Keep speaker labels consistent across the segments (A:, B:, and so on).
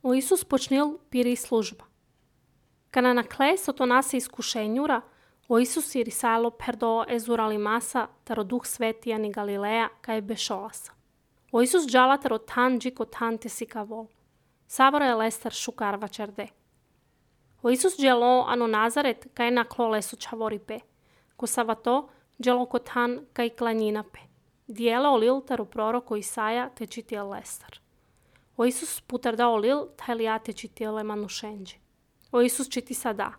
A: O Isus počnil piri služba. Kana na kle so to nase iskušenjura, o Isus je risalo perdo ezurali masa, taro duh sveti ani Galileja, kaj bešolasa. O Isus džala taro tan džiko tan te sikavol. Savoro je lestar šukarva čerde. O Isus dželo ano Nazaret, kaj na klo lesu čavori pe. Ko savato, dželo ko tan kaj klanjina pe. Dijelo olil taro proroko Isaja te čitil lestar. O Isus putar da olil, tajlija te čitile manušenđi. O Isus čiti sada.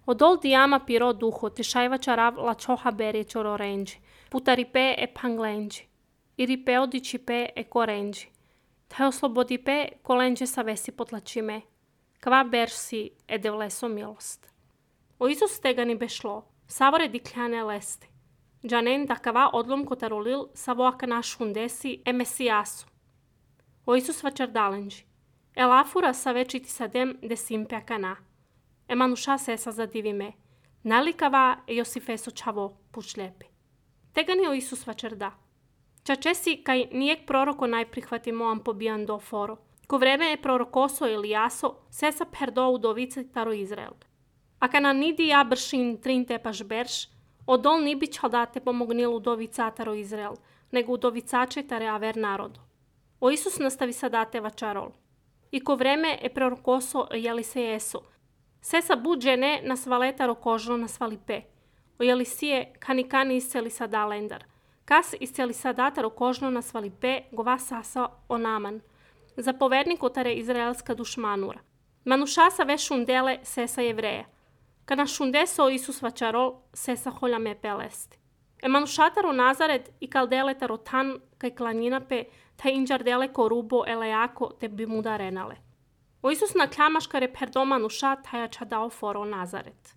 A: Odol dijama piro duho, te šajva čarav la čoha berje čoro renđi. Putari pe e panglenđi. Iri pe odiči pe e korenđi. Taj oslobodi pe kolenđe sa vesi potlačime. Kva bersi e devleso milost. O Isus tegani bešlo. Savore dikljane lesti. Džanen da kava odlom kotarolil savoaka našundesi e mesijasu. O Isus vačardalenđi. Elafura sa večiti sadem de simpea kana. Emanuša sesa zadivime. Nalikava e Josifeso čavo pušljepi. Tegani o Isus vačarda. Čačesi kaj nijek proroko najprihvati moam pobijan do foro. Ko vreme je prorokoso Elijaso, sesa perdo udovice taro Izrael. A kana nidi ja bršin trinte paš berš, odol ni bi čaldate pomognil udovica taro Izrael, nego udovicače tare aver narodu. O Isus nastavi sadate vačarol. I ko vreme je prorokoso Jelisejeso, sesa budžene na svaletaro kožno na svalipe. O Jelisije kani isceli sada lendar. Kas isceli sadataro kožno na svalipe gova sasa o Naman. Zapovednik otare izraelska dušmanura. Manušasa ve šundele sesa jevreja. Kana šundeso o Isus vačarol, sesa holjame pelesti. Emanušataro Nazaret i kaldeletaro tan kaj klanjinape, taj inđardele ko rubo elejako te bi muda renale. O Isus na kljamaškare perdo manuša taja čadao foro Nazaret.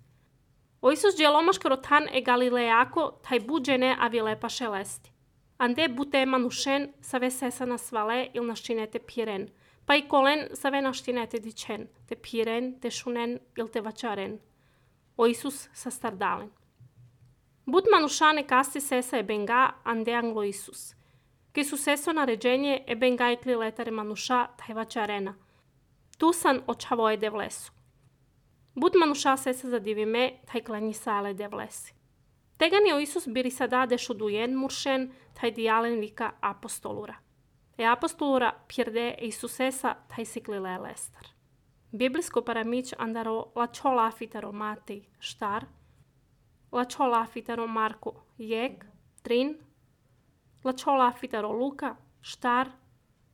A: O Isus djelomaškaro tan e galilejako taj buđene avilepa šelesti. Ande bute manušen save sesa na svale il naštinete piren, pa i kolen save naštinete dičen, te piren, te šunen il te vačaren. O Isus sa stardalen. Bud manušane kasti sesa e benga ande anglo Isus. Ki su seso naređenje e benga ikli letare manuša taj vačarena. Tu san očavo je devlesu. Bud manuša sesa zadivime taj klanji sale devlesi. Tegani o Isus biri sada dešudujen muršen taj dijalen vika apostolura. E apostolura pjerde Isusesa taj siklile lestar. Biblijsko paramić andaro la čola fitaro Matej štar, la čola fitaro Marko jek, trin, la čola fitaro Luka štar,